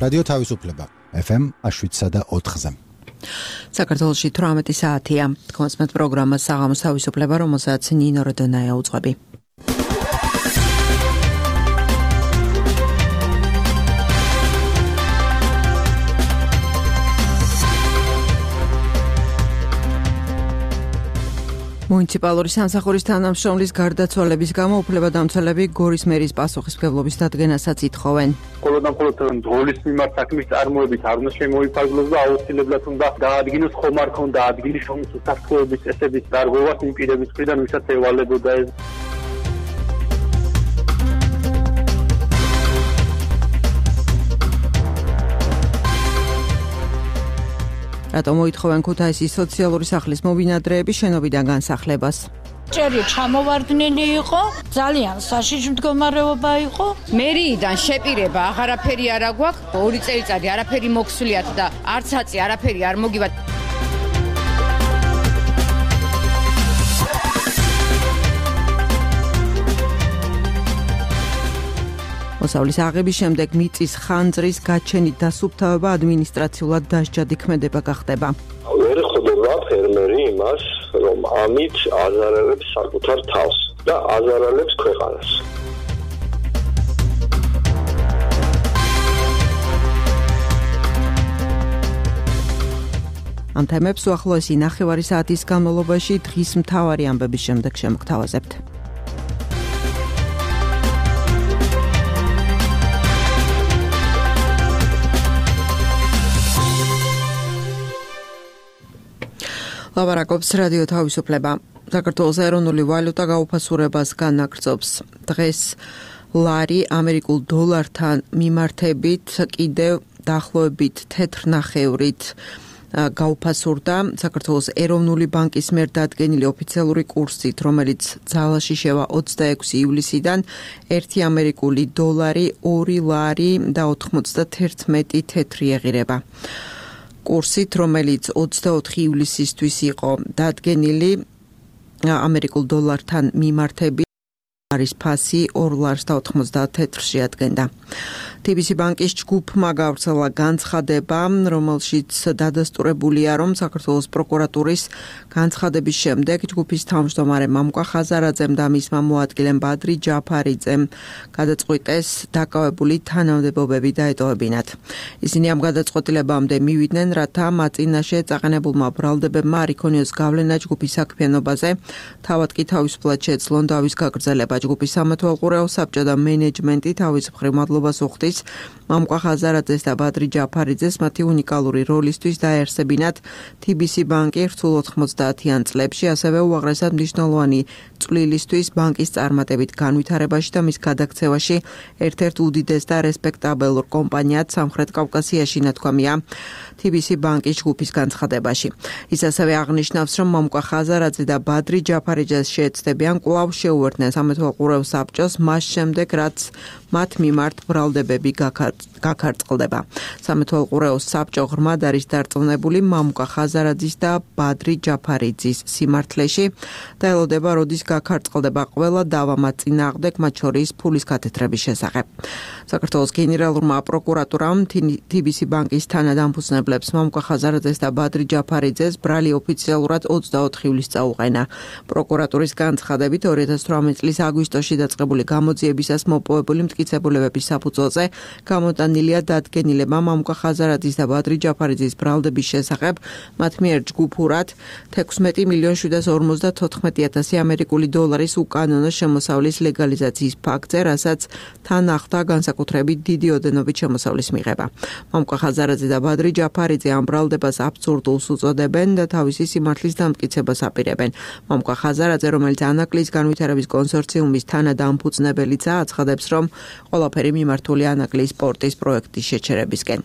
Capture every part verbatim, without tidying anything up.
რადიო თავისუფლება ეფ ემ შვიდსა და ოთხზე. საქართველოში თვრამეტი საათია. კონსმეთ პროგრამა საღამოს თავისუფლება, რომელსაც ნინო როდონაია უძღვები. მუნიციპალური სამსახურის თანამშრომლის გარდაცვალების გამო უფლებადამცველები გორის მერის პასუხისმგებლობის დადგენასაც ითხოვენ. მხოლოდ და მხოლოდ დროლის მიმართ საქმის წარმოებით არ უნდა შემოიფარგლოს და აუცილებლად უნდა დაადგინოს ხომ არ ქონდა ადგილი შრომის უსაფრთხოების წესების დარღვევას იმ პირების მხრიდან, ვისაც ევალებოდა ეს. რატომ მოითხოვენ ქუთაისის სოციალური სახლის მობინადრეები შენობიდან განსახლებას? ჭერი ჩამოვარდნილი იყო, ძალიან საშიში მდგომარეობა იყო. მერიიდან შეპირება აღარაფერი არ აგვაქვს, ორი წელიწადი არაფერი მოქსვლიათ და არც აწი არაფერი არ მოგივათ. მოსავლის აღების შემდეგ მიწის ხანძრის გაჩენით დასუფთავება ადმინისტრაციულად დასჯადი ქმედება გახდება. ვერ ხვდება ფერმერი იმას, რომ ამით აზარალებს საკუთარ თავს და აზარალებს ქვეყანას. ამ თემებს უახლოესი ნახევარი საათის განმავლობაში დღის მთავარი ამბების შემდეგ შემოგთავაზებთ. ლაპარაკობს რადიო თავისუფლება. საქართველოს ეროვნული ვალუტა გაუფასურებას განაგრძობს. დღეს ლარი ამერიკულ დოლართან მიმართებით კიდევ დაახლოებით თეთრ ნახევრით გაუფასურდა. საქართველოს ეროვნული ბანკის მიერ დადგენილი ოფიციალური კურსით, რომელიც ძალაში შევა ოცდაექვსი ივლისიდან, ერთი ამერიკული დოლარი ორი ლარი და ოთხმოცდათერთმეტი თეთრი ეღირება. კურსით, რომელიც ოცდაოთხი ივლისისთვის იყო დადგენილი ამერიკულ დოლართან მიმართებით, არის ფასი ორ ლარს და ოთხმოცდათეტრში ადგენდა. თი ბი სი ბანკის ჯგუფმა გავრცელა განცხადება, რომელშიც დადასტურებულია, რომ საქართველოს პროკურატურის განცხადების შემდეგ ჯგუფის თავმჯდომარე მამუკა ხაზარაძემ და მისმა მოადგილემ ბადრი ჯაფარიძემ გადაწყვიტეს დაკავებული თანამდებობები დაეტოვებინათ. ისინი ამ გადაწყვეტილებამდე მივიდნენ, რათა მათ წინაშე წაყენებულმა ბრალდებებმა არ იქონიოს გავლენა ჯგუფის საქმიანობაზე, თავად კი თავისუფლად შეეძლონ დავის გაგრძელება. ჯგუფის სამეთვალყურეო საბჭო და მენეჯმენტი თავის მხრივ მადლობას უხდის მამუკა ხაზარაძეს და ბადრი ჯაფარიძეს მათი უნიკალური როლისთვის დაეარსებინათ თი ბი სი ბანკი რთულ ოთხმოცდაათიან წლებში, ასევე უაღრესად მნიშვნელოვანი წვლილისთვის ბანკის წარმატებით განვითარებაში და მის გადაქცევაში ერთ-ერთ უდიდეს და რესპექტაბელურ კომპანიად სამხრეთ კავკასიაში, ნათქვამია თი ბი სი ბანკის ჯგუფის განცხადებაში. ის ასევე აღნიშნავს, რომ მამუკა ხაზარაძე და ბადრი ჯაფარიძეს შეეცდებიან კვლავ შეუერთდნენ სამეთვალყურეო საბჭოს მას შემდეგ, რაც მათ მიმართ ბრალდებები გაქარწყლდება. სამეთვალყურეო საბჭო ღრმად არის დარწმუნებული მამუკა ხაზარაძის და ბადრი ჯაფარიძის სიმართლეში და ელოდება, როდის გაქარწყლდება ყველა დავა მათ წინააღმდეგ, მათ შორის ფულის გათეთრების შესახებ. საქართველოს გენერალურმა პროკურატურამ თი ბი სი ბანკის თანადამფუძნებლებს მამუკა ხაზარაძეს და ბადრი ჯაფარიძეს ბრალი ოფიციალურად ოცდაოთხი ივლისს წაუყენა. პროკურატურის განცხადებით ორი ათას თვრამეტი წლის აგვისტოში დაწყებული გამოძიებისას მოპოვებული მტკიცებულებების საფუძველზე გამოტანილია დადგენილება მამუკა ხაზარაძის და ბადრი ჯაფარიძის ბრალდების შესახებ, მათ მიერ ჯგუფურად თექვსმეტი მილიონი შვიდას ორმოცდათოთხმეტი ათასი ამერიკული დოლარის უკანონო შემოსავლის ლეგალიზაციის ფაქტზე, რასაც თან ახლდა განსაკუთრებით დიდი ოდენობით შემოსავლის მიღება. მამუკა ხაზარაძე და ბადრი ჯაფარიძე ამ ბრალდებას აბსურდულს უწოდებენ და თავისი სიმართლის დამტკიცებას აპირებენ. მამუკა ხაზარაძე, რომელიც ანაკლის განვითარების კონსორციუმის თანადამფუძნებელიცაა, აცხადებს, რომ ყველაფერი მიმართული ანაკლის სპორტის პროექტის შეჩერებისკენ.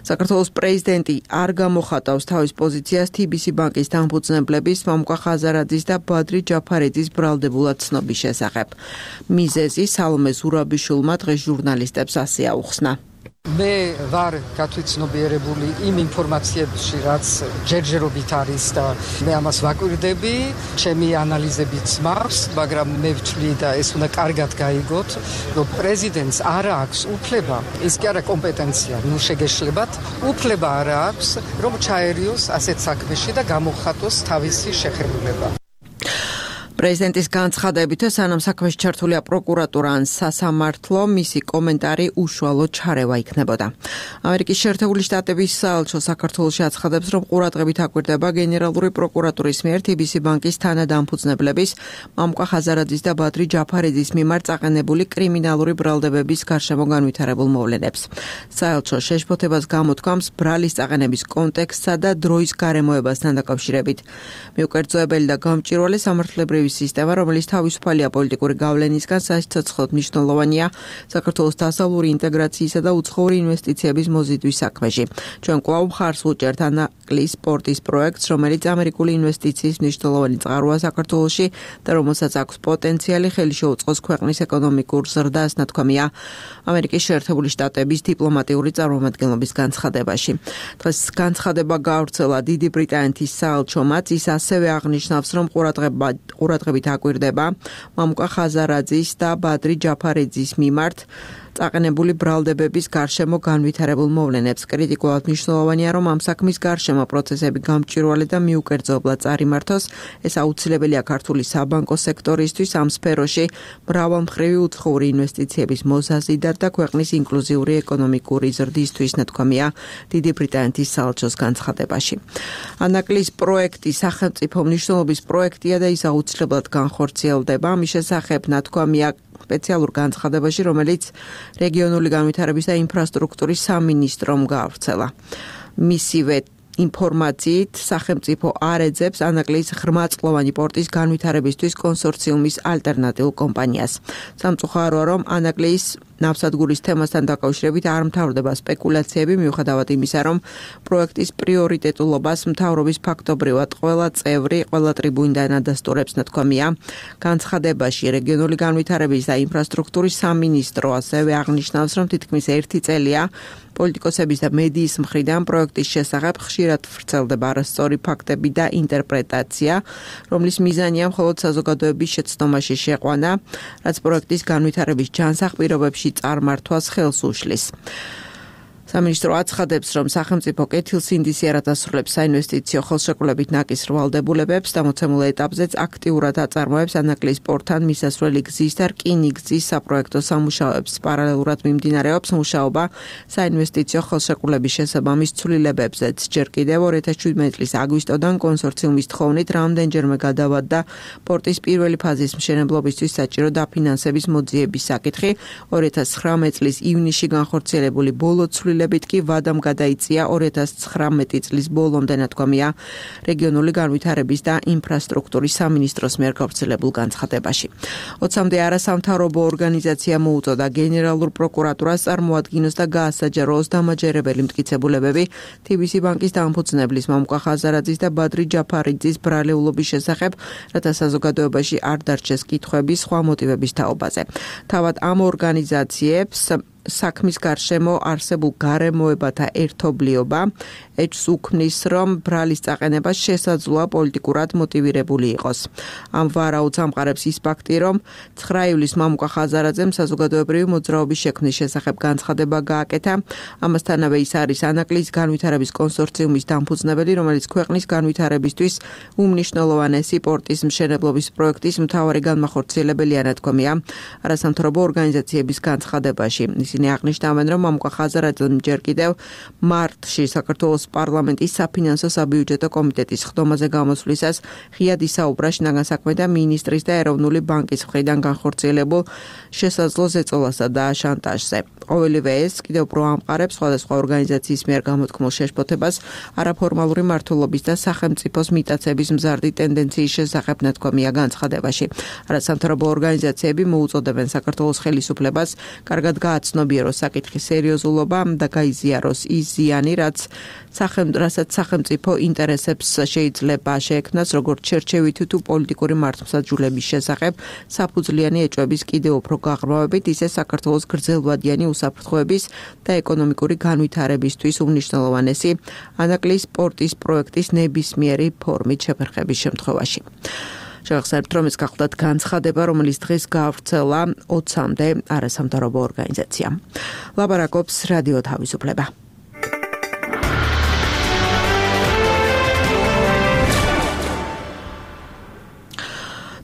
საქართველოს პრეზიდენტი არ გამოხატავს თავის პოზიციას თი ბი სი ბანკის დამფუძნებლების მამუკა ხაზარაძის და ბადრი ჯაფარიძის ბრალდებულად ცნობის შესახებ. მიზეზი სალომე ზურაბიშვილმა დღეს ჟურნალისტებს ასე აუხსნა. მე ვარ გათვითცნობიერებული იმ ინფორმაციებში, რაც ჯერჯერობით არის და მე ამას ვაკვირდები, ჩემი ანალიზებიც მაქვს, მაგრამ მე ვთვლი და ეს უნდა კარგად გაიგოთ, რომ პრეზიდენტს არ აქვს უფლება, ის კი არა კომპეტენცია, ნუ შეგეშლებათ, უფლება არ აქვს, რომ ჩაერიოს ასეთ საქმეში და გამოხატოს თავისი შეხებულება. პრეზიდენტის განცხადებით, სანამ საქმეში ჩართულია პროკურატურა ან სასამართლო, მისი კომენტარი უშუალო ჩარევა იქნებოდა. ამერიკის შეერთებული შტატების საელჩო საქართველოში აცხადებს, რომ ყურადღებით აკვირდება გენერალური პროკურატურის მიერ თი ბი სი ბანკის თანადამფუძნებლების მამუკა ხაზარაძის და ბადრი ჯაფარიძის მიმართ წაყენებული კრიმინალური ბრალდებების გარშემო განვითარებულ მოვლენებს. საელჩო შეშფოთებას გამოთქვამს ბრალის წაყენების კონტექსტსა და დროის გარემოებასთან დაკავშირებით. მიუკერძოებელი და გამჭვირვალე სამართლებრივი სისტემა, რომელიც თავისუფალია პოლიტიკური გავლენისგან, სასიცოცხლოდ მნიშვნელოვანია საქართველოს დასავლური ინტეგრაციისა და უცხოური ინვესტიციების მოზიდვის საქმეში. ჩვენ კვლავ მხარს ვუჭერთ ანაკლის სპორტის პროექტს, რომელიც ამერიკული ინვესტიციის მნიშვნელოვანი წყაროა საქართველოში და რომელსაც აქვს პოტენციალი ხელი შეუწყოს ქვეყნის ეკონომიკურ ზრდას, ნათქვამია ამერიკის შეერთებული შტატების დიპლომატიური წარმომადგენლობის განცხადებაში. დღეს განცხადება გავრცელა დიდი ბრიტანეთის საელჩომაც, ის ასევე აღნიშნავს, რომ ყურადღება ყურადღებით აკვირდება მამუკა ხაზარაძის და ბადრი ჯაფარიძის მიმართ წაყენებული ბრალდებების გარშემო განვითარებულ მოვლენებს. კრიტიკულად მნიშვნელოვანია, რომ ამ საქმის გარშემო პროცესები გამჭვირვალე და მიუკერძობლად წარიმართოს. ეს აუცილებელია ქართული საბანკო სექტორისთვის ამ სფეროში მრავალმხრივი უცხოური ინვესტიციების მოსაზიდად და ქვეყნის ინკლუზიური ეკონომიკური ზრდისთვის, ნათქვამია დიდი ბრიტანეთის საელჩოს განცხადებაში. ანაკლის პროექტი სახელმწიფო მნიშვნელობის პროექტია და ის აუცილებლად განხორციელდება. ამის შესახებ ნათქვამია სპეციალურ განცხადებაში, რომელიც რეგიონული განვითარების და ინფრასტრუქტურის სამინისტრომ გაავრცელა. მისივე ინფორმაციით სახელმწიფო არ ეძებს ანაკლის ღრმაწყლოვანი პორტის განვითარებისთვის კონსორციუმის ალტერნატიულ კომპანიას. სამწუხაროა, რომ ანაკლის ნავსადგურის თემასთან დაკავშირებით არ მთავრდება სპეკულაციები, მიუხედავად იმისა, რომ პროექტის პრიორიტეტულობას მთავრობის ფაქტობრივად ყველა წევრი, ყველა ტრიბუნიდან ადასტურებს, ნათქვამია განცხადებაში. რეგიონული განვითარების და ინფრასტრუქტურის სამინისტრო ასევე აღნიშნავს, რომ თითქმის ერთი წელია პოლიტიკოსების და მედიის მხრიდან პროექტის შესახებ ხშირად ვრცელდება არასწორი ფაქტები და ინტერპრეტაცია, რომლის მიზანია მხოლოდ საზოგადოების შეცდომაში შეყვანა, რაც პროექტის განვითარების ჯანსაღ პირობებში წარმართვას ხელს უშლის. სამინისტრო აცხადებს, რომ სახელმწიფო კეთილსინდისი არ ადასრულებს საინვესტიციო ხელშეკრულებით ნაკის რვალდებულებებს და მოცემულ ეტაპზეც აქტიურად აწარმოებს ანაკლის პორტთან მისასვლელი გზის და რკინიგზის საპროექტო სამუშაოებს. პარალელურად მიმდინარეობს მუშაობა საინვესტიციო ხელშეკრულების შესაბამის ცვლილებებზეც. ჯერ კიდევ ორი ათას შვიდმეტი წლის აგვისტოდან კონსორციუმის თხოვნით რამდენჯერმე გადავადდა პორტის პირველი ფაზის მშენებლობისთვის საჭირო დაფინანსების მოძიების საკითხი. ორი ათას ცხრამეტი წლის ივნისში განხორციელებული ბოლო ცვლილებები ცვლილებებით კი ვადამ გადაიწია ორი ათას ცხრამეტი წლის ბოლომდე, ნათქვამია რეგიონული განვითარების და ინფრასტრუქტურის სამინისტროს მიერ გავრცელებულ განცხადებაში. ოცამდე არასამთავრობო ორგანიზაცია მოუწოდა გენერალურ პროკურატურას წარმოადგინოს და გაასაჯაროოს დამაჯერებელი მტკიცებულებები თი ბი სი ბანკის დამფუძნებლის მამუკა ხაზარაძის და ბადრი ჯაფარიძის ბრალეულობის შესახებ, რათა საზოგადოებაში არ დარჩეს კითხვები სხვა მოტივების თაობაზე. თავად ამ ორგანიზაციებს საქმის გარშემო არსებულ გარემოებათა ერთობლიობა ეჭვს უქმნის, რომ ბრალის წაყენება შესაძლოა პოლიტიკურად მოტივირებული იყოს. ამ ვარაუდს ამყარებს ის ფაქტი, რომ ცხრა ივლისს მამუკა ხაზარაძემ საზოგადოებრივი მოძრაობის შექმნის შესახებ განცხადება გააკეთა. ამასთანავე ის არის ანაკლის განვითარების კონსორციუმის დამფუძნებელი, რომელიც ქვეყნის განვითარებისთვის უმნიშვნელოვანესი პორტის მშენებლობის პროექტის მთავარი განმახორციელებელია, ნათქვამია არასამთავრობო ორგანიზაციების განცხადებაში. ისინი აღნიშნავენ, რომ მამუკა ხაზარაძემ ჯერ კიდევ მარტში საქართველოს პარლამენტის საფინანსო საბიუჯეტო კომიტეტის ხდომაზე გამოსვლისას ღიად ისაუბრა შინაგან საქმეთა მინისტრის და ეროვნული ბანკის მხრიდან განხორციელებულ შესაძლო ზეწოლასა და შანტაჟზე. ყოველივე ეს კიდევ უფრო ამყარებს სხვადასხვა ორგანიზაციის მიერ გამოთქმულ შეშფოთებას არაფორმალური მმართველობის და სახელმწიფოს მიტაცების მზარდი ტენდენციის შესახებ, ნათქვამია განცხადებაში. არასამთავრობო ორგანიზაციები მოუწოდებენ საქართველოს ხელისუფლებას კარგად გააცნობიეროს საკითხის სერიოზულობა და გაიზიაროს ის ზიანი, რაც სახელმწიფო სახელმწიფო ინტერესებს შეიძლება შეექმნას როგორც შერჩევითი თუ პოლიტიკური მართლმსაჯულების შესახებ საფუძვლიანი ეჭვების კიდევ უფრო გაღრმავებით, ისე საქართველოს გრძელვადიანი უსაფრთხოების და ეკონომიკური განვითარებისთვის უმნიშვნელოვანესი ანაკლის სპორტის პროექტის ნებისმიერი ფორმით შეფერხების შემთხვევაში. შევახსენებთ, რომ ეს გახლდათ განცხადება, რომელიც დღეს გაავრცელა ოცამდე არასამთავრობო ორგანიზაციამ. ლაპარაკობს რადიო თავისუფლება.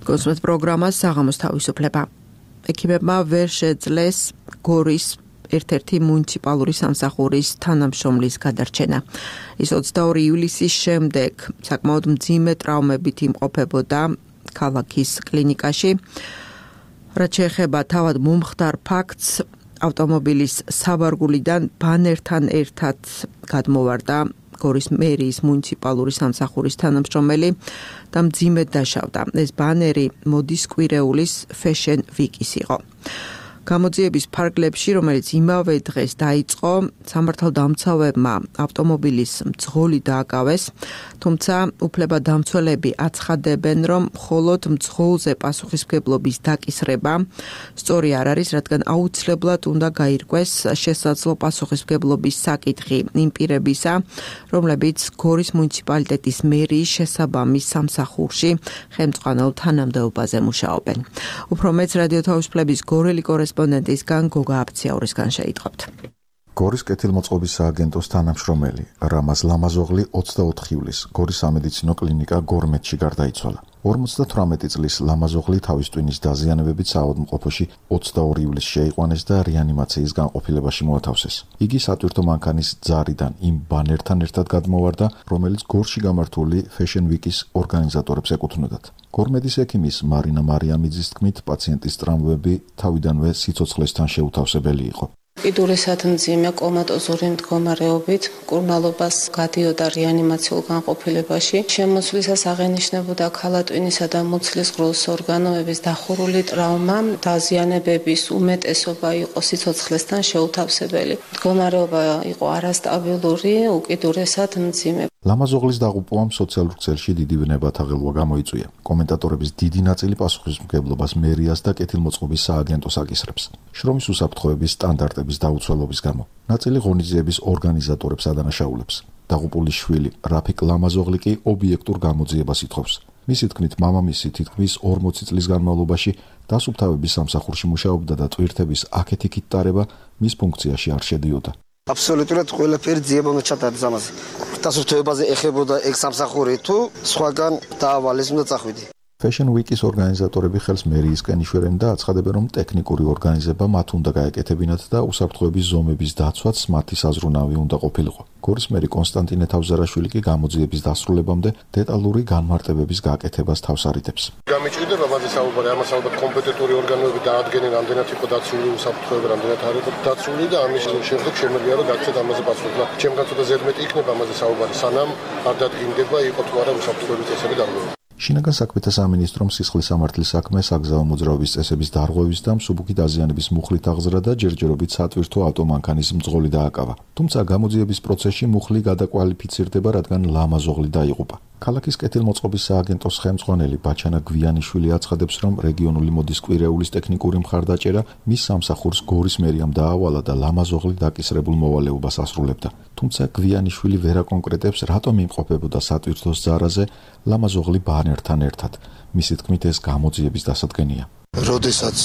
კონსულტ პროგრამას საღამოს თავისუფლება. ექიმებმა ვერ შეძლეს გორის ერთ-ერთი მუნიციპალური სამსახურის თანამშრომლის გადარჩენა. ის ოცდაორი ივლისის შემდეგ საკმაოდ მძიმე ტრაუმებით იმყოფებოდა ქალაქის კლინიკაში. რაც შეეხება თავად მომხდარ ფაქტს, ავტომობილის საბარგულიდან ბანერთან ერთად გადმოვარდა გორის მერიის მუნიციპალური სამსახურის თანამშრომელი და მძიმედ დაშავდა. ეს ბანერი მოდის კვირეულის Fashion Week-ის იყო. გამოძიების ფარგლებში, რომელიც იმავე დღეს დაიწყო, სამართალდამცავებმა ავტომობილის მძღოლი დააკავეს, თუმცა უფლებადამცველები აცხადებენ, რომ მხოლოდ მძღოლზე პასუხისმგებლობის დაკისრება სწორი არ არის, რადგან აუცილებლად უნდა გაირკვეს შესაძლო პასუხისმგებლობის საკითხი იმ პირებისა, რომლებიც გორის მუნიციპალიტეტის მერიის შესაბამის სამსახურში ხელმძღვანელ თანამდებობაზე მუშაობენ. უფრო მეც რადიო თავისუფლების გორელი კორესპონდენტისგან გოგა აფციაურისგან შეიტყობთ. გორის კეთილმოწყობის სააგენტოს თანამშრომელი რამაზ ლამაზოღლი ოცდაოთხ ივლისს გორის სამედიცინო კლინიკა გორმეთში გარდაიცვალა. ორმოცდათვრამეტი წლის ლამაზოღლი თავის ტვინის დაზიანებებით საავადმყოფოში ოცდაორი ივლისს შეიყვანეს და რეანიმაციის განყოფილებაში მოათავსეს. იგი სატვირთო მანქანის ძარიდან იმ ბანერთან ერთად გადმოვარდა, რომელიც გორში გამართული Fashion Week-ის ორგანიზატორებს ეკუთვნოდათ. გორმედის ექიმის მარინა მარიამიძის თქმით, პაციენტის ტრამვები თავიდანვე სიცოცხლესთან შეუთავსებელი იყო. კიდურისად მძიმე კომატოზური მდგომარეობით კურნალობას გადიოდა რეანიმაციულ განყოფილებაში. შემოსვლისას აღენიშნებოდა ქალატვინისა და მუცლის ღრუს ორგანოების დახურული ტრაუმა, დაზიანებების უმეტესობა იყო სიცოცხლესთან შეუთავსებელი. მდგომარეობა იყო არასტაბილური, უკიდურესად მძიმე. ლამაზოღლის დაღუპვამ სოციალურ ქსელში დიდი ვნებათა ღელვა გამოიწვია. კომენტატორების დიდი ნაწილი პასუხისმგებლობას მერიას და კეთილმოწყობის სააგენტოს აკისრებს. შრომის უსაფრთხოების სტანდარტების დაუცველობის გამო. ნაწილი ღონისძიების ორგანიზატორებს ადანაშაულებს. დაღუპულის შვილი რაფიკ ლამაზოღლი კი ობიექტურ გამოძიებას ითხოვს. მისი თქმით, მამამისი თითქმის ორმოცი წლის განმავლობაში დასუფთავების სამსახურში მუშაობდა და ტვირთების აქეთ-იქით ტარება მის ფუნქციაში არ შედიოდა. აბსოლუტურად ყველაფერი ძიება უნდა ჩატარდეს ამაზე. დასუფთავებაზე ეხებოდა ეგ სამსახური თუ სხვაგან დაავალეს უნდა წახვიდე. Fashion Week-ის ორგანიზატორები ხელს მერიისკენ იშვერენ და აცხადებენ, რომ ტექნიკური ორგანიზება მათ უნდა გაეკეთებინათ და უსაფრთხოების ზომების დაცვაც მათი საზრუნავი უნდა ყოფილიყო. გორის მერი კონსტანტინე თავზარაშვილი კი გამოძიების დასრულებამდე დეტალური განმარტებების გაკეთებას თავს არიდებს. გამიჭირდება მათი საუბარი, ამას ალბათ კომპეტენტური ორგანოები დაადგენენ, რამდენად იყო დაცული უსაფრთხოება, რამდენად არ იყო დაცული და ამის შემდეგ შემიძლია რომ გაგცეთ ამაზე პასუხი. ჩემგან ცოტა ზედმეტი იქნება ამაზე საუბარი, სანამ არ დადგინდება იყო თუ არა უსაფრთხოების წესები დარღვევა. შინაგან საქმეთა სამინისტრომ სისხლის სამართლის საქმე, საგზაო მოძრაობის წესების დარღვევის და მსუბუქი დაზიანების მუხლით აღზრდა და ჯერჯერობით სატვირთო ავტომანქანის მძღოლი დააკავა. თუმცა გამოძიების პროცესში მუხლი გადაკვალიფიცირდება, რადგან ლამაზოღლი დაიღუპა. ქალაქის კეთილმოწყობის სააგენტოს ხელმძღვანელი ბაჩანა გვიანიშვილი აცხადებს, რომ რეგიონული მოდის კვირეულის ტექნიკური მხარდაჭერა მის სამსახურს გორის მერიამ დაავალა და ლამაზოღლი დაკისრებულ მოვალეობას ასრულებდა. თუმცა გვიანიშვილი ვერ აკონკრეტებს, რატომ იმყოფებოდა სატვირთოს ძარაზე ლამაზოღლი ბანერთან ერთად. მისი თქმით, ეს გამოძიების დასადგენია. როდესაც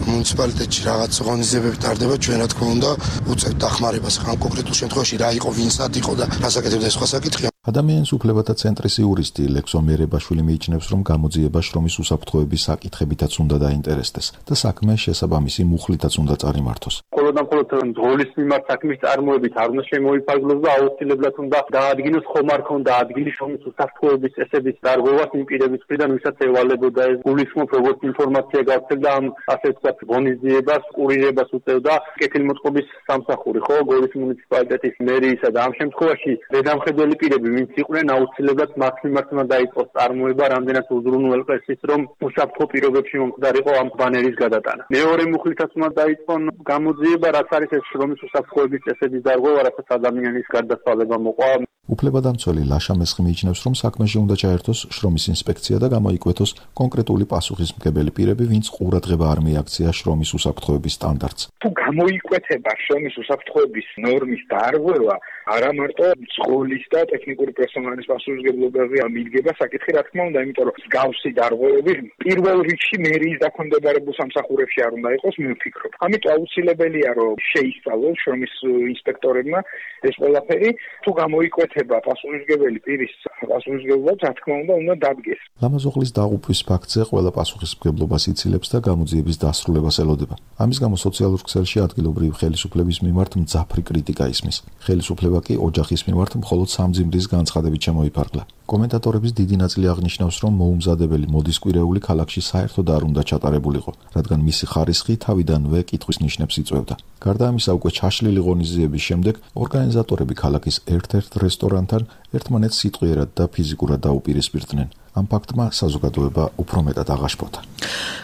მუნიციპალიტეტში რაღაც ღონისძიებები ტარდება, ჩვენ რა თქმა უნდა უწევთ დახმარებას, ამ კონკრეტულ შემთხვევაში რა იყო, ვინსად იყო და რას აკეთებდა სხვა საკითხია. ადამიანის უფლებათა ცენტრის იურისტი ლექსო მერებაშვილი მიიჩნევს, რომ გამოძიება შრომის უსაფრთხოების საკითხებითაც უნდა დაინტერესდეს და საქმე შესაბამისი მუხლითაც უნდა წარიმართოს. მხოლოდ და მხოლოდ მძღოლის მიმართ საქმის წარმოებით არ უნდა შემოიფარგლოს და აუცილებლად უნდა დაადგინოს ხომ არ ქონდა ადგილი შრომის უსაფრთხოების წესების დარღვევას იმ პირების მხრიდან, ვისაც ევალებოდა ეს. გულისხმობ, როგორც ინფორმაცია გავრცელდა ამ ასე ვთქვათ ღონისძიებას, კურირებას უწევდა კეთილმოწყობის სამსახური, ხო, გორის მუნიციპალიტეტის მერიისა და ამ შემთხვევაში ზედამხედველი პირები ვინც იყვნენ აუცილებლად მათ მიმართ უნდა დაიწყოს წარმოება რამდენად უზრუნველყო ეს ის რომ უსაფრთხო პირობებში მომხდარიყო ამ ბანერის გადატანა. მეორე მუხლითაც უნდა დაიწყონ გამოძიება, რაც არის ეს შრომის უსაფრთხოების წესების დარღვევა, რასაც ადამიანის გარდაცვალება მოყვა. უფლებადამცველი ლაშა მესხი მიიჩნევს, რომ საქმეში უნდა ჩაერთოს შრომის ინსპექცია და გამოიკვეთოს კონკრეტული პასუხისმგებელი პირები, ვინც ყურადღება არ მიაქცია შრომის უსაფრთხოების სტანდარტს. თუ გამოიკვეთება შრომის უსაფრთხოების ნორმის დარღვევა, არა მარტო სკოლის და ტექნიკური პერსონალის პასუხისმგებლობაზე მიდგება საკითხი, რა თქმა უნდა, იმიტომ რომ მსგავსი დარღვევები პირველ რიგში მერიის დაქვემდებარებულ სამსახურებში არ უნდა იყოს, მე ვფიქრობ. ამიტომ აუცილებელია, რომ შეისწავლოს შრომის ინსპექტორებმა ეს ყველაფერი, თუ გამოიკვეთება პასუხისმგებელი პირის პასუხისმგებლობა, რა თქმა უნდა, უნდა დადგეს. ლამაზოღლის დაღუპვის ფაქტზე ყველა პასუხისმგებლობას იცილებს და გამოძიების დასრულებას ელოდება. ამის გამო სოციალურ ქსელში ადგილობრივი ხელისუფლების მიმართ მძაფრი კრიტიკა ისმის. ხელისუფლება კი ოჯახის მიმართ მხოლოდ სამძიმრის განცხადებით შემოიფარგლა. კომენტატორების დიდი ნაწილი აღნიშნავს, რომ მოუმზადებელი მოდის კვირეული ქალაქში საერთოდ არ უნდა ჩატარებულიყო, რადგან მისი ხარისხი თავიდანვე კითხვის ნიშნებს იწვევდა. გარდა ამისა, უკვე ჩაშლილი ღონისძიების შემდეგ ორგანიზატორები ქალაქის ერთ-ერთ რესტორანთან ერთმანეთს სიტყვიერად და ფიზიკურად დაუპირისპირდნენ. ამ ფაქტმა საზოგადოება უფრო მეტად აღაშფოთა.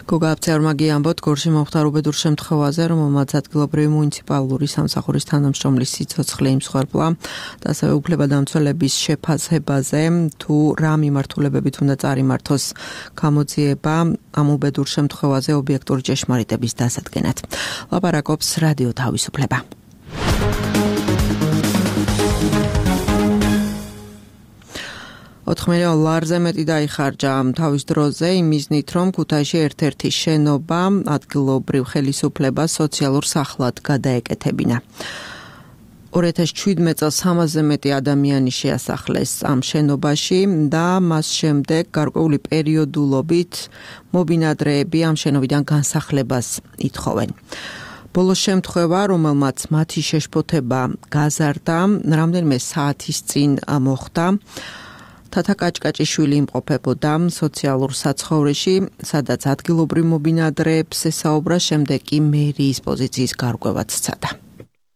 გოგა აფცეარმაგი ამბობთ გორში მომხდარ უბედურ შემთხვევაზე, რომელმაც ადგილობრივი მუნიციპალური სამსახურის თანამშრომლის სიცოცხლე იმსხვერპლა და ასევე უფლებადამცველების შეფასებაზე, თუ რა მიმართულებებით უნდა წარიმართოს გამოძიება ამ უბედურ შემთხვევაზე ობიექტური ჭეშმარიტების დასადგენად. ლაპარაკობს რადიო თავისუფლება. ოთხ მილიონ ლარზე მეტი დაიხარჯა თავის დროზე იმ მიზნით, რომ ქუთაისში ერთ-ერთი შენობა ადგილობრივ ხელისუფლებას სოციალურ სახლად გადაეკეთებინა. ორი ათას შვიდმეტ წელს სამასზე მეტი ადამიანი შეასახლეს ამ შენობაში და მას შემდეგ გარკვეული პერიოდულობით მობინადრეები ამ შენობიდან განსახლებას ითხოვენ. ბოლო შემთხვევა, რომელმაც მათი შეშფოთება გაზარდა, რამდენიმე საათის წინ მოხდა. თათა კაჭკაჭიშვილი იმყოფებოდა სოციალურ საცხოვრეში, სადაც ადგილობრივ მობინადრეებს ესაუბრა, შემდეგ კი მერიის პოზიციის გარკვევაც სცადა.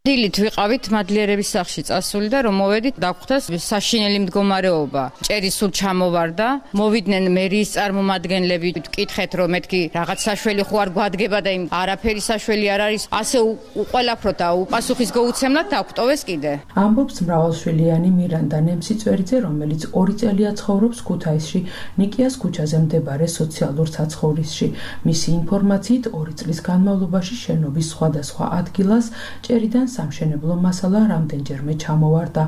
დილით ვიყავით მადლიერების სახლში წასული და რომ მოვედით დაგხვდას საშინელი მდგომარეობა. ჭერი სულ ჩამოვარდა, მოვიდნენ მერიის წარმომადგენლები, ვკითხეთ რომ მეთქი რაღაც საშველი ხო არ გვადგება და იმ არაფერი საშველი არ არის, ასე უყოლაფროთ და უპასუხის გაუცემლად დაგვტოვეს კიდე. ამბობს მრავალშვილიანი მირანდა ნემსიწვერიძე, რომელიც ორი წელია ცხოვრობს ქუთაისში, ნიკიას ქუჩაზე მდებარე სოციალურ საცხოვრისში. მისი ინფორმაციით ორი წლის განმავლობაში შენობის სხვადასხვა ადგილას ჭერიდან სამშენებლო მასალა რამდენჯერმე ჩამოვარდა.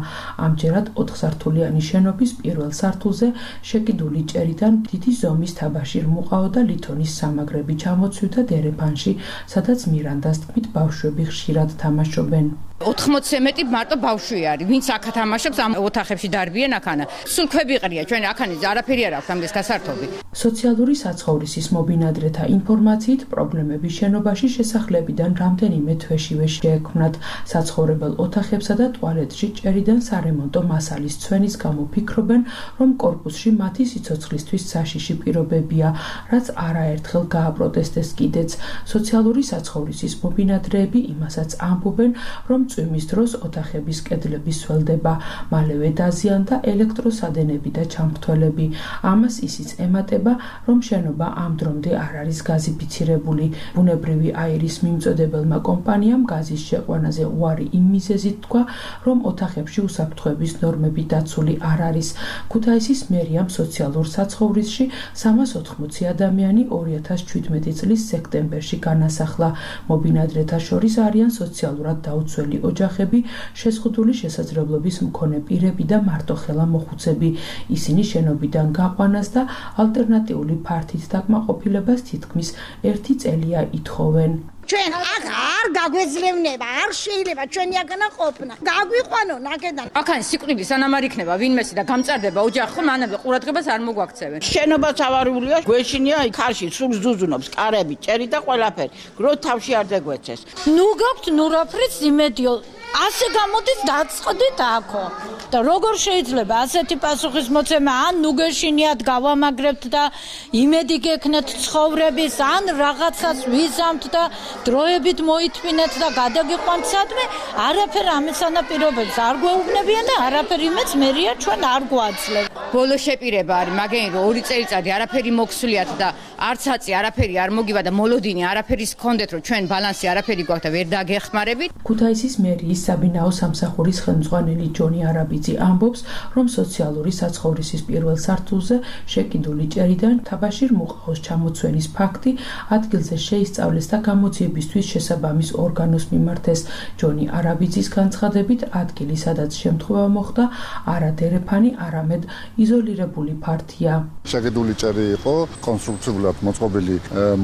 ამჯერად ოთხსართულიანი შენობის პირველ სართულზე შეკიდული ჭერიდან დიდი ზომის თაბაშირ მუყაო და ლითონის სამაგრები ჩამოცვიდა დერეფანში, სადაც მირანდას თქმით ბავშვები ხშირად თამაშობენ. ოთხმოცზე მეტი მარტო ბავშვი არის, ვინც აქ თამაშობს ამ ოთახებში დარბიან აქანა. სულ ქვები ყრია, ჩვენ აქანი არაფერი არ აქვს ამის გასართობი. სოციალური საცხოვრისის მობინადრეთა ინფორმაციით პრობლემები შენობაში შესახლებიდან რამდენიმე თვეშივე შეექმნათ. საცხოვრებელ ოთახებსა და ტუალეტში ჭერიდან სარემონტო მასალის ცვენის გამო ფიქრობენ, რომ კორპუსში მათი სიცოცხლისთვის საშიში პირობებია, რაც არაერთხელ გააპროტესტეს კიდეც. სოციალური საცხოვრისის მობინადრეები იმასაც ამბობენ, რომ წვიმის დროს ოთახების კედლები სველდება, მალევე დაზიანდა ელექტროსადენები და ჩამრთველები. ამას ისიც ემატება, რომ შენობა ამ დრომდე არ არის გაზიფიცირებული. ბუნებრივი აირის მიმწოდებელმა კომპანიამ გაზის შეყვანაზე უარი იმ მიზეზით თქვა, რომ ოთახებში უსაფრთხოების ნორმები დაცული არ არის. ქუთაისის მერიამ სოციალურ საცხოვრისში სამას ოთხმოცი ადამიანი ორი ათას შვიდმეტი წლის სექტემბერში განასახლა. მობინადრეთა შორის არიან სოციალურად დაუცველი ოჯახები, შეზღუდული შესაძლებლობის მქონე პირები და მარტოხელა მოხუცები. ისინი შენობიდან გაყვანას და ალტერნატიული ფართით დაკმაყოფილებას თითქმის ერთი წელია ითხოვენ. ჩვენ აქ არ გაგვეძლევნება, არ შეიძლება ჩვენი აქანა ყოფნა. გაგვიყვანონ აქედან. აქან სიკვდილი სანამ არ იქნება ვინმესი და გამწარდება ოჯახი, ხო მანამდე ყურადღებას არ მოგვაქცევენ. შენობაც ავარიულია, გვეშინია ქარში, სულ ზუზუნობს, კარები, ჭერი და ყველაფერი. გრო თავში არ დაგვეცეს. ნუ გაქვთ ნუ რაფრიც იმედიო ასე გამოდის დაწყდით აქო. და როგორ შეიძლება ასეთი პასუხისმოცემა ან ნუ გეშინიათ გავამაგრებთ და იმედი გექნათ ცხოვრების ან რაღაცას ვიზამთ და დროებით მოითმინეთ და გადაგიყვანთ სადმე არაფერ ამის ანაპირობებს არ გვეუბნებიან და არაფერ იმეც მერია ჩვენ არ გვაძლევ. ბოლო შეპირება არის მაგენი რომ ორი წელიწადი არაფერი მოქსულიათ და არც აწი არაფერი არ მოგივა და მოლოდინი არაფერის გქონდეთ რომ ჩვენ ბალანსი არაფერი გვაქვს და ვერ დაგეხმარებით. ქუთაისის მერიის საბინაო სამსახურის ხელმძღვანელი ჯონი არაბიძე ამბობს, რომ სოციალური საცხოვრისის პირველ სართულზე შეკიდული ჭერიდან თაბაშირ მუყაოს ჩამოცვენის ფაქტი ადგილზე შეისწავლეს და გამოძიებისთვის შესაბამის ორგანოს მიმართეს. ჯონი არაბიძის განცხადებით, ადგილი, სადაც შემთხვევა მოხდა, არა დერეფანი, არამედ იზოლირებული ფართია. შეკიდული ჭერი იყო კონსტრუქციულად მოწყობილი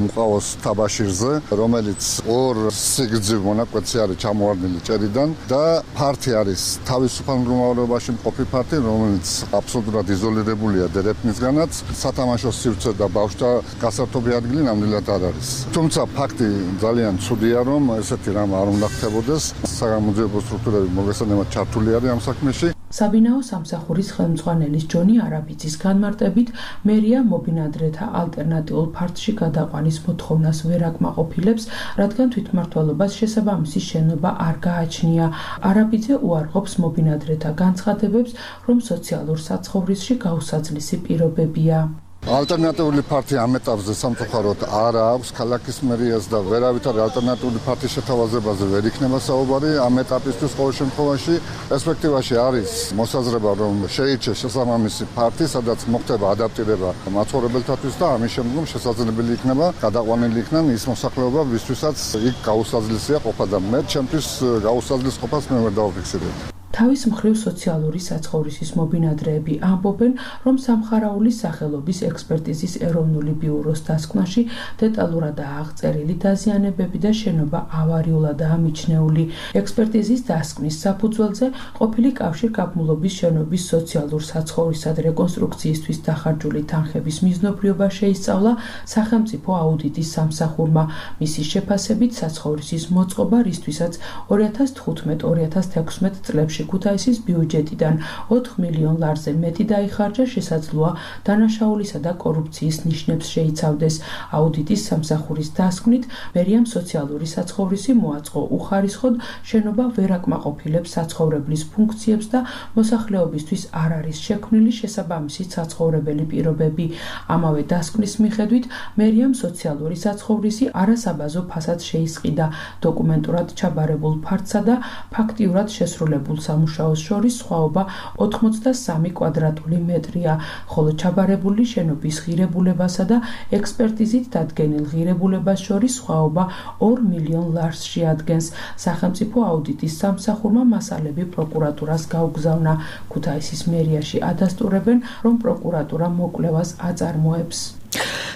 მუყაოს თაბაშირზე, რომელიც ორ სიგრძივ მონაკვეთზე არის ჩამოვარდნილი ჭერიდან და ფართი არის თავისუფალ მდგომარეობაში მყოფი ფართი, რომელიც აბსოლუტურად იზოლირებულია დერეფნისგანაც. სათამაშო სივრცე და ბავშვთა გასართობი ადგილი ნამდვილად არ არის. თუმცა ფაქტი ძალიან ცუდია, რომ ესეთი რამ არ უნდა ხდებოდეს. საგამოძიებო სტრუქტურები მოგესალმებით ჩართული არის ამ საქმეში. საბინაო სამსახურის ხელმძღვანელის ჯონი არაბიძის განმარტებით, მერია მობინადრეთა ალტერნატიულ ფართში გადაყვანის მოთხოვნას ვერ აკმაყოფილებს, რადგან თვითმმართველობას შესაბამისი შენობა არ გააჩნია. არაბიძე უარყოფს მობინადრეთა განცხადებებს, რომ სოციალურ საცხოვრისში გაუსაძლისი პირობებია. ალტერნატიული ფართი ამ ეტაპზე სამწუხაროდ არ აქვს ქალაქის მერიას და ვერავითარ ალტერნატიული ფართის შეთავაზებაზე ვერ იქნება საუბარი ამ ეტაპისთვის ყოველ შემთხვევაში. პერსპექტივაში არის მოსაზრება, რომ შეირჩეს შესაბამისი ფართი, სადაც მოხდება ადაპტირება მაცხოვრებელთათვის და ამის შემდგომ შესაძლებელი იქნება გადაყვანილი იქნან ის მოსახლეობა, ვისთვისაც იქ გაუსაძლისია ყოფა და მე ჩემთვის გაუსაძლის ყოფას მე ვერ დავაფიქსირებ. თავის მხრივ სოციალური საცხოვრისის მობინადრეები ამბობენ, რომ სამხარაულის სახელობის ექსპერტიზის ეროვნული ბიუროს დასკვნაში დეტალურადაა აღწერილი დაზიანებები და შენობა ავარიულადაა მიჩნეული. ექსპერტიზის დასკვნის საფუძველზე ყოფილი კავშირგაბმულობის შენობის სოციალურ საცხოვრისად რეკონსტრუქციისთვის დახარჯული თანხების მიზნობრიობა შეისწავლა სახელმწიფო აუდიტის სამსახურმა. მისი შეფასებით საცხოვრისის მოწყობა, რისთვისაც ორი ათას თხუთმეტ ორი ათას თექვსმეტ წლებში ქუთაისის ბიუჯეტიდან ოთხ მილიონ ლარზე მეტი დაიხარჯა, შესაძლოა დანაშაულისა და კორუფციის ნიშნებს შეიცავდეს. აუდიტის სამსახურის დასკვნით, მერიამ სოციალური საცხოვრისი მოაწყო უხარისხოდ, შენობა ვერ აკმაყოფილებს საცხოვრებლის ფუნქციებს და მოსახლეობისთვის არ არის შექმნილი შესაბამისი საცხოვრებელი პირობები. ამავე დასკვნის მიხედვით, მერიამ სოციალური საცხოვრისი არასაბაზო ფასად შეისყიდა დოკუმენტურად ჩაბარებულ ფართსა და ფაქტიურად შესრულებულ სამუშაოს შორის სხვაობა ოთხმოცდასამი კვადრატული მეტრია, ხოლო ჩაბარებული შენობის ღირებულებასა და ექსპერტიზით დადგენილ ღირებულებას შორის სხვაობა ორ მილიონ ლარს შეადგენს. სახელმწიფო აუდიტის სამსახურმა მასალები პროკურატურას გაუგზავნა. ქუთაისის მერიაში ადასტურებენ, რომ პროკურატურა მოკვლევას აწარმოებს.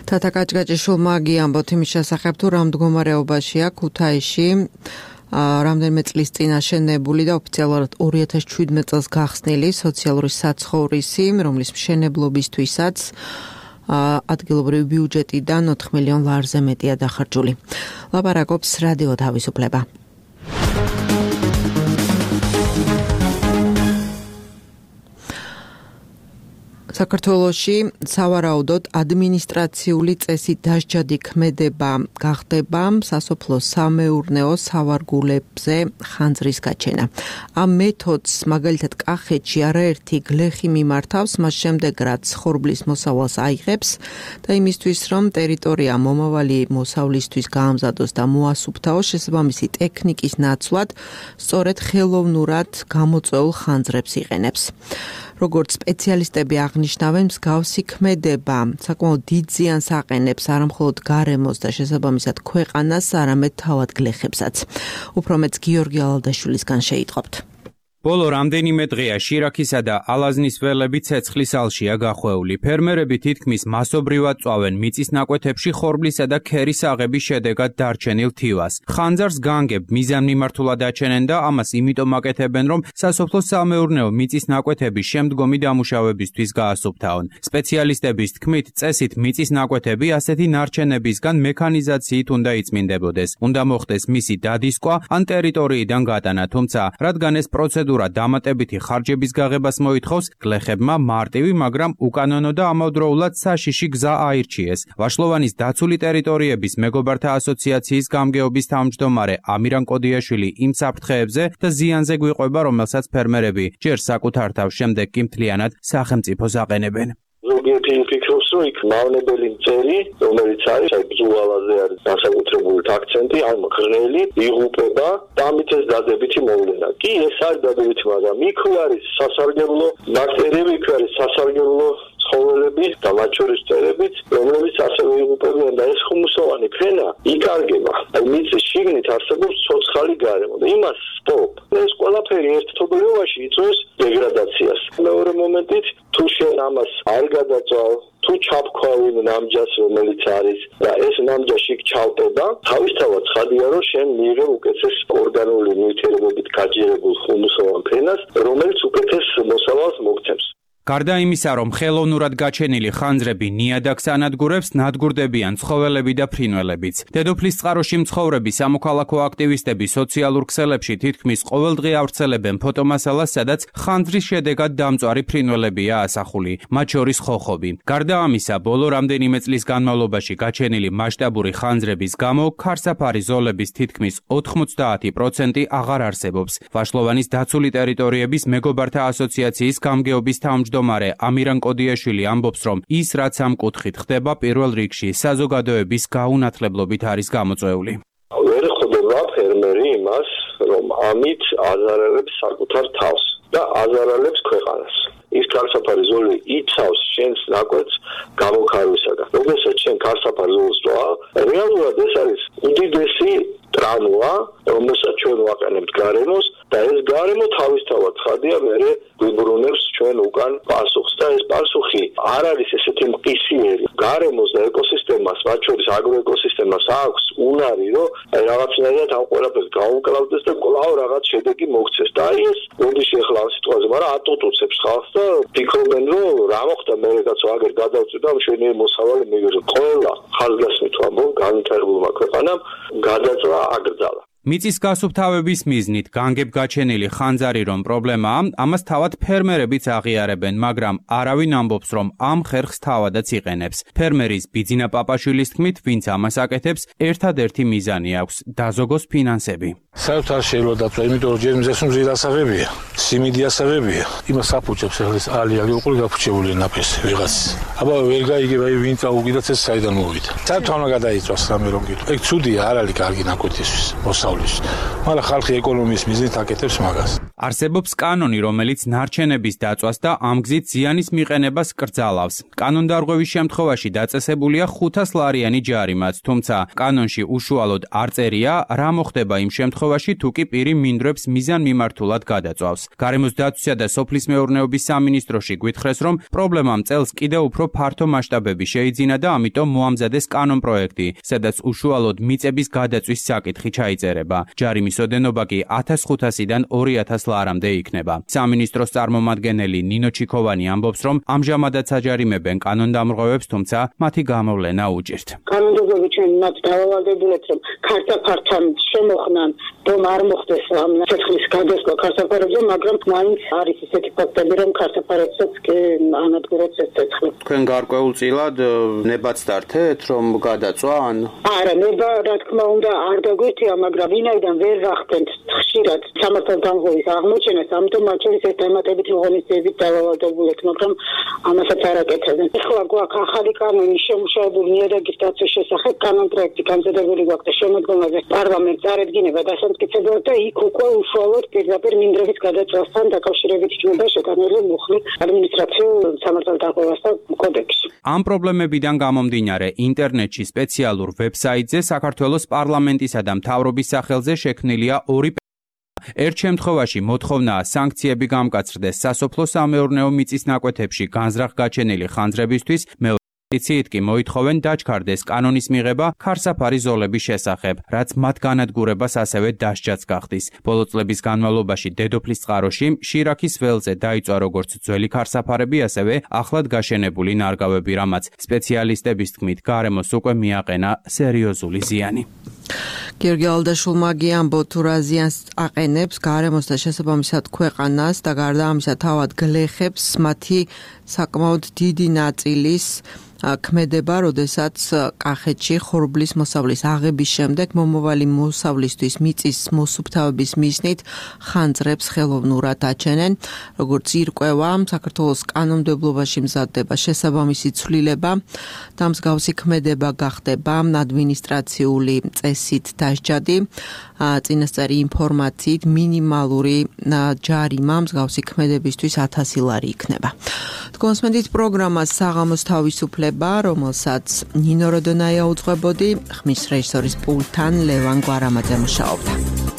თათა კაჭკაჭიშვილმა გიამბოთ იმის შესახებ, თუ რა მდგომარეობაშია ქუთაისში რამდენიმე წლის წინ აშენებული და ოფიციალურად ორი ათას შვიდმეტ წელს გახსნილი სოციალური საცხოვრისი, რომლის მშენებლობისთვისაც ადგილობრივი ბიუჯეტიდან ოთხ მილიონ ლარზე მეტია დახარჯული. ლაპარაკობს რადიო თავისუფლება. საქართველოში სავარაუდოდ ადმინისტრაციული წესით დასჯადი ქმედება გახდება სასოფლო-სამეურნეო სავარგულებზე ხანძრის გაჩენა. ამ მეთოდს მაგალითად კახეთში არაერთი გლეხი მიმართავს, მას შემდეგ რაც ხორბლის მოსავალს აიღებს და იმისთვის რომ ტერიტორია მომავალი მოსავლისთვის გაამზადოს და მოასუფთავოს, შესაბამისი ტექნიკის ნაცვლად სწორედ ხელოვნურად გამოწვეულ ხანძრებს იყენებს. როგორც სპეციალისტები აღნიშნავენ, მსგავსი ქმედება საკმაოდ დიდ ზიანს აყენებს არა მხოლოდ გარემოს და შესაბამისად ქვეყანას, არამედ თავად გლეხებსაც. უფრო მეც გიორგი ალალდაშვილისგან შეიტყობთ. ბოლო რამდენიმე დღეა შირაქისა და ალაზნის ველები ცეცხლის ალშია გახვეული. ფერმერები თითქმის მასობრივად წვავენ მიწის ნაკვეთებში ხორბლისა და ქერის აღების შედეგად დარჩენილ თივას. ხანძარს განგებ მიზანმიმართულად აჩენენ და ამას იმიტომ აკეთებენ, რომ სასოფლო-სამეურნეო მიწის ნაკვეთების შემდგომი დამუშავებისთვის გაასუფთავონ. სპეციალისტების თქმით, წესით მიწის ნაკვეთები ასეთი ნარჩენებისგან მექანიზაციით უნდა იწმინდებოდეს. უნდა მოხდეს მისი დადისკვა ან ტერიტორიიდან გატანა, თუმცა რადგან ეს პროცედურა დამატებითი ხარჯების გაღებას მოითხოვს, გლეხებმა მარტივი, მაგრამ უკანონო და ამავდროულად საშიში გზა აირჩიეს. ვაშლოვანის დაცული ტერიტორიების მეგობართა ასოციაციის გამგეობის თავმჯდომარე ამირან კოდიაშვილი იმ საფრთხეებზე და ზიანზე გვიყვება, რომელსაც ფერმერები ჯერ საკუთარ თავს, შემდეგ კი მთლიანად სახელმწიფოს აყენებენ. ზოგიერთი ფიქრობს, რომ იქ მავნებელი მწერი, რომელიც არის აი ბრძოლაზე არის განსაკუთრებული აქცენტი, ან მღრღნელი იღუპება და ამით ეს დადებითი მოვლენა. კი, ეს არის დადებითი, მაგრამ იქ არის სასარგებლო ბაქტერიები, იქ არის სასარგებლო ცხოველები და მათ შორის მწერებიც, რომლებიც ასევე იღუპებიან და ეს ხუმუსოვანი ფენა იკარგება. აი მიწის შიგნით არსებობს ცოცხალი გარემო და იმას სტოპ. ეს ყველაფერი ერთთობლივობაში იწვევს დეგრადაციას. მეორე მომენტით, თუ შენ ამას არ გადაწვავ, თუ ჩაფქვავინ ნამჯას, რომელიც არის და ეს ნამჯაში ჩავტება, თავისთავად ცხადია, რომ შენ მიიღებ უკეთეს ორგანული ნივთიერებებით გაჯერებულ ხუმუსოვან ფენას, რომელიც უკეთეს მოსავალს მოგცემს. გარდა იმისა, რომ ხელოვნურად გაჩენილი ხანძრები ნიადაგს ანადგურებს, ნადგურდებიან ცხოველები და ფრინველებიც. დედოფლის წყაროში მცხოვრები სამოქალაქო აქტივისტები სოციალურ ქსელებში თითქმის ყოველდღე ავრცელებენ ფოტომასალას, სადაც ხანძრის შედეგად დამწვარი ფრინველებია ასახული, მათ შორის ხოხობი. გარდა ამისა, ბოლო რამდენიმე წლის განმავლობაში გაჩენილი მასშტაბური ხანძრების გამო ქარსაფარი ზოლების თითქმის ოთხმოცდაათი პროცენტი აღარ არსებობს. ვაშლოვანის დაცული ტერიტორიების მეგობართა ასოციაციის გამგეობის თავმჯდომარე მდომარე ამირან კოდიაშვილი ამბობს, რომ ის რაც ამ კუთხით ხდება, პირველ რიგში საზოგადოების გაუნათლებლობით არის გამოწვეული. ვერ ხვდება ფერმერი იმას, რომ ამით აზარალებს საკუთარ თავს და აზარალებს ქვეყანას. ის ქარსაფარი ზოლი იცავს შენს ნაკვეთს გამოქარვისაგან. როდესაც შენ ქარსაფარი ზოლს წვავ, რეალურად ეს არის უდიდესი ტრამვა, რომელსაც ჩვენ ვაყენებთ გარემოს და ეს გარემო თავისთავად ცხადია მერე გვიბრუნებს ჩვენ უკან პასუხს და ეს პასუხი არ არის ესეთი მყისიერი. გარემოს და ეკოსისტემას, მათ შორის აგროეკოსისტემას აქვს უნარი, რომ აი რაღაცნაირად ამ ყველაფერს გაუმკლავდეს და კვლავ რაღაც შედეგი მოგცეს. და აი ეს როდეში ახლა ამ სიტყვაზე, მაგრამ ატოტუცებს ხალხს და ფიქრობენ, რომ რა მოხდა მერე კაცო აგერ გადავწვი და მშვენიერი მოსავალი მივიღე. ყველა ხაზგასმით ვამბობ, განვითარებულმა ქვეყანამ გადაწვა აგრძალა. მიწის გასუფთავების მიზნით განგებ გაჩენილი ხანძარი რომ პრობლემაა, ამას თავად ფერმერებიც აღიარებენ, მაგრამ არავინ ამბობს, რომ ამ ხერხს თავადაც იყენებს. ფერმერის ბიძინა პაპაშვილის თქმით, ვინც ამას აკეთებს, ერთადერთი მიზანი აქვს დაზოგოს ფინანსები. საერთოდ არ შეიძლება დაწვა, იმიტომ რომ ჯერ მიზეს მზիր ასაღებია, სიმინდი ასაღებია. იმას აფუჭებს ახლა ეს ალი-ალი უყური გაფუჭებული ნაფესი ვიღაც. აბა ვერ გაიგება, ვინ წაუგიდაც ეს საიდან მოვიდა. საერთოდ არ გადაიწვას რამე რომ გითხრა. ეგ ცუდია, არ არის კარგი ნაკვეთისთვის. მაგრამ ხალხი ეკონომიის მიზნით აკეთებს მაგას. არსებობს კანონი, რომელიც ნარჩენების დაწვას და ამ გზით ზიანის მიყენებას კრძალავს. კანონდარღვევის შემთხვევაში დაწესებულია ხუთას ლარიანი ჯარიმაც, თუმცა კანონში უშუალოდ არ წერია, რა მოხდება იმ შემთხვევაში, თუ კი პირი მინდვრებს მიზანმიმართულად გადაწვავს. გარემოს დაცვისა და სოფლის მეურნეობის სამინისტროში გვითხრეს, რომ პრობლემამ წელს კიდევ უფრო ფართო მასშტაბები შეიძინა და ამიტომ მოამზადეს კანონპროექტი, სადაც უშუალოდ მიწების გადაწვის საკითხი ჩაიწერება. ჯარიმის ოდენობა კი ათას ხუთასიდან ორი ათას ლარამდე იქნება. სამინისტროს წარმომადგენელი ნინო ჩიქოვანი ამბობს, რომ ამჟამადაც აჯარიმებენ კანონდამრღვევებს, თუმცა მათი გამოვლენა უჭირთ. კანონდამრღვევები ჩვენ მათ დავალდებულეთ, რომ ქარსაფართან შემოხნან, რომ არ მოხდეს ამ ცეცხლის გადასვლა ქარსაფარებზე, მაგრამ მაინც არის ისეთი ფაქტები, რომ ქარსაფარებსაც კი ანადგურებს ეს ცეცხლი. თქვენ გარკვეულწილად ნებაც დართეთ, რომ გადაწვა ან არა, ნება რა თქმა უნდა არ დაგვირთია, მაგრამ ვინაიდან ვერ ვახდენთ ხშირად სამართალ დამღობის აღმოჩენას, ამიტომ მათ შორის ეს დამატებითი ღონისძიებით დავალდებულეთ, მაგრამ ამასაც არ აკეთებენ. ეხლა გვაქვს ახალი კანონი შემუშავებული ნიადაგის დაცვის შესახებ, კანონპროექტი განზადებული გვაქვს და შემოდგომაზე პარლამენტს წარედგინება დასამტკიცებლად და იქ უკვე უშუალოდ პირდაპირ მინდვრების გადაწვასთან დაკავშირებით იქნება შეტანილი მუხლი ადმინისტრაციულ სამართალ დამღებასთან კოდექსში. ამ პრობლემებიდან გამომდინარე, ინტერნეტში სპეციალურ ვებსაიტზე საქართველოს პარლამენტისა და მთავრობის სახელზე შექმნილია ორი ერთ შემთხვევაში მოთხოვნაა სანქციები გამკაცრდეს სასოფლო-სამეურნეო მიწის ნაკვეთებში განზრახ გაჩენილი ხანძრებისთვის, ციით კი მოითხოვენ დაჩქარდეს კანონის მიღება ქარსაფარი ზოლების შესახებ, რაც მათ განადგურებას ასევე დასჯაც გახდის. ბოლო წლების განმავლობაში დედოფლის წყაროში შირაქის ველზე დაიწვა როგორც ძველი ქარსაფარები, ასევე ახლად გაშენებული ნარგავები, რამაც სპეციალისტების თქმით გარემოს უკვე მიაყენა სერიოზული ზიანი. გიორგი ალდაშულმა გიამბო თუ რა ზიანს აყენებს გარემოს და შესაბამისად ქვეყანას და გარდა ამისა თავად გლეხებს მათი საკმაოდ დიდი ნაწილის ქმედება, როდესაც კახეთში ხორბლის მოსავლის აღების შემდეგ მომავალი მოსავლისთვის მიწის მოსუფთავების მიზნით ხანძრებს ხელოვნურად აჩენენ. როგორც ირკვევა, საქართველოს კანონმდებლობაში მზადდება შესაბამისი ცვლილება და მსგავსი ქმედება გახდება ადმინისტრაციული წესით დასჯადი. წინასწარი ინფორმაციით მინიმალური ჯარიმა მსგავსი ქმედებისთვის ათასი ლარი იქნება. კონსმენდით პროგრამას საღამოს თავისუფლება, რომელსაც ნინო როდონაია უძღვებოდი, ხმის რეჟისორის პულტთან ლევან გვარამაძე მუშაობდა.